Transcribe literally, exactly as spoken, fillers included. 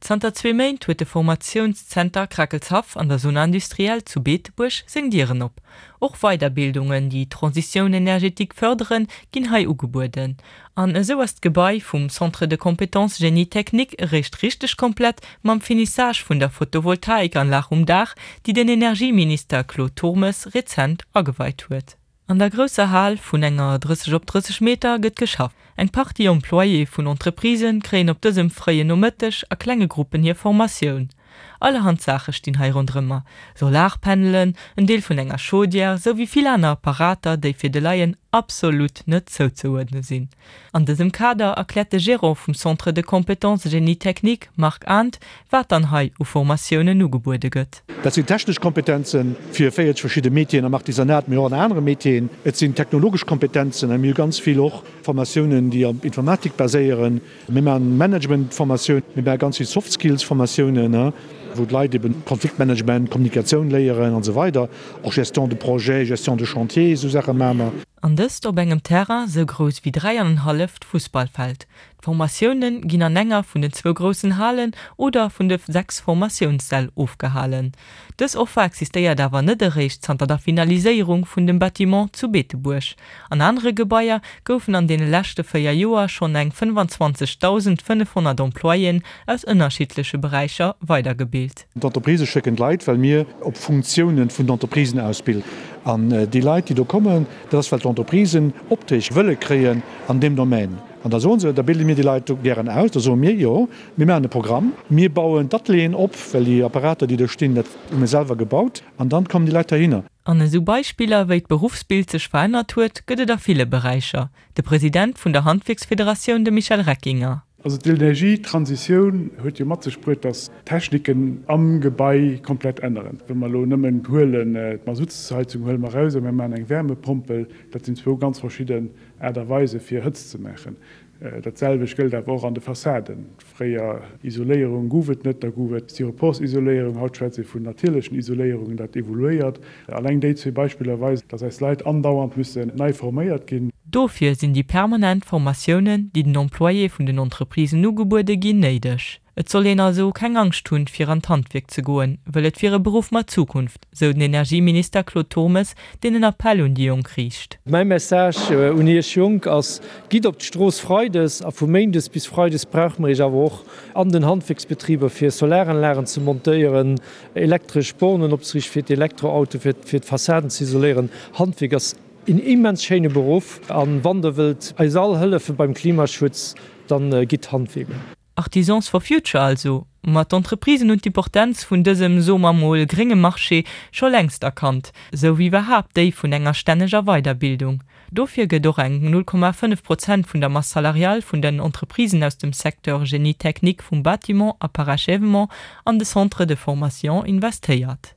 Zanter zwee Méint huet de Formatiounszenter Krakelshaff an der Zone industrielle zu Beetebuerg seng Dieren op. Och Weiderbildungen, déi d'Transition énergétique fërderen, ginn hei ugebueden. An esou ass d'Gebai vum Centre de compétences Génie technique eréischt richteg komplett mam Finissage vun der Photovoltaikanlag um Daach, déi den Energieminister Claude Turmes rezent ageweit huet. An der grousser Hal vun enger drësseg op drësseg Meter gëtt geschafft. Eng Partie Employéë vun Entreprisë kréien op dësem fréien Nomëtteg a klenge Gruppen hir Formatioun. Allerhand Saache stinn hei ronderëmmer, Solarpanelen, en Deel vun enger Chaudière, sou wéi vill aner Apparater, déi fir de Laien absolut net zouzeuerdne sinn. An dësem Kader erkläert de Gerant vum Centre de compétences Génie technique, Marc Arndt, wat dann hei u Formatiounen ugebuede gëtt. Dat sinn technesch Kompetenze fir véierzeg verschidde Métieren am Artisanat, mee och an anere Métieren. Et sinn technologesch Kompetenzen a mir hu ganz vill och Formatiounen, déi op Informatik baséieren. Mir maachen Managementformatioun, mir maache ganz vill Soft-Skills-Formatiounen, wou d'Leit eben Konfliktmanagement, Kommunikatioun léieren an esou weider, och Gestion de projet, Gestion de chantier, esou Saache maache mer. An dëst op engem Terrain sou grouss wéi dräi an en halleft Fussballfeld. D'Formatioune ginn an enger vun den zwou groussen Halen oder vun de sechs Formatiounssäll ofgehalen. Dës Offer existéiert awer net eréischt zanter der Finaliséierung vun dem Bâtiment zu Beetebuerg. An anere Gebaier goufen an deene leschte véier Joer schonn eng fënnefanzwanzeg dausendfënnefhonnert Employéen aus ënnerschiddleche Beräicher weidergebilt. D'Entreprisë schécken d'Leit, well mir op Funktiounen vun den Entreprisen ausbilden. An déi Leit, déi do kommen, dat ass, well d'Entreprisen Opträg wëlle kréien an deem Domaine. An da soen se, da bilde mir déi Leit do gären aus. Da soe mir, jo, mir maachen e Programm, mir bauen d'Atelieren op, well déi Apparater, déi do stinn, dat hu mir selwer gebaut. An dann kommen déi Leit heihinner. An esou Beispiller, wéi d'Beruffsbild sech verännert huet, gëtt et a ville Beräicher. De President vun der Handwierksfederatioun, de Michel Reckinger. Also d'Energietransitioun huet jo mat sech bruet, dass d'Techniken am Gebai komplett änneren. Wa mer elo nëmmen huelen d'Masuttsheizung huele mer eraus a mir maachen eng Wärmepompel, dat sinn zwou ganz verschidden Aart a Weise fir Hëtzt ze maachen. Dat selwecht gëllt awer och an de Fassaden. Fréier Isoléierung gouf et net, da gouf et Styroporsisoléierung, haut schwätzt ee vun natierlechen Isoléierungen, dat evoluéiert. Alleng déi zwee Beispiller weisen, dass eis Leit andauernd müssen nei forméiert ginn. Dofir sinn déi permanent Formatiounen, déi den Employéë vun den Entreprisen ugebuede ginn, néideg. Et soll een also keng Angscht hunn, fir an d'Handwierk ze goen, wëll et wier e Beruff mat Zukunft, sou den Energieminister Claude Turmes, deen en Appell un déi Jonk riicht. Mäi Message un Iech Jonk ass, Gitt op d'Strooss freides a vu méindes bis freides brauche mer Iech awer och an den Handwierksbetriber, fir Solaranlagen ze montéieren, elektresch Bornen opzeriichten fir d'Elektroautoen, fir d'Fassaden ze isoléieren. Handwierk ass een immens schéine Beruff an wann der wëllt eis all hëllefe beim Klimaschutz, dann gitt Handwierker. Artisans for future also? Ma d'Entreprisen hunn d'Importenz vun dësem, soe mer mol, grénge Marché scho längst erkannt, sou wéi iwwerhaapt déi vun enger stänneger Weiderbildung. Dofir gëtt och eng null Komma fënnef Prozent vun der Masse salariale vun den Entreprisen aus dem Secteur Génie technique vum Bâtiment a Parachèvement an de Centres de formation investéiert.